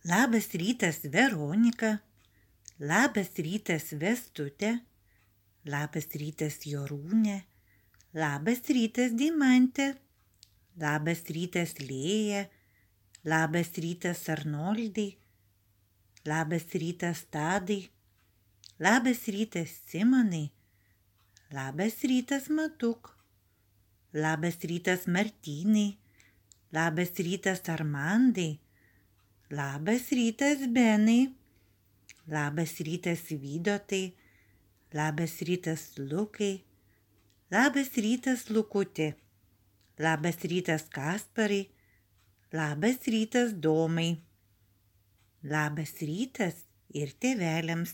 Labas rytas, Veronika. Labas rytas, Vestutė. Labas rytas, Jorūnė. Labas rytas, Deimantė. Labas rytas, Lėja. Labas rytas, Arnoldai. Labas rytas, Tadai. Labas rytas, Simonai. Labas rytas, Matuk. Labas rytas, Martynai. Labas rytas, Armandai. Labas rytas, Benai. Labas rytas, Vydotai. Labas rytas, Lukai. Labas rytas, Lukutė. Labas rytas, Kasparai. Labas rytas, Domai. Labas rytas ir tėveliams.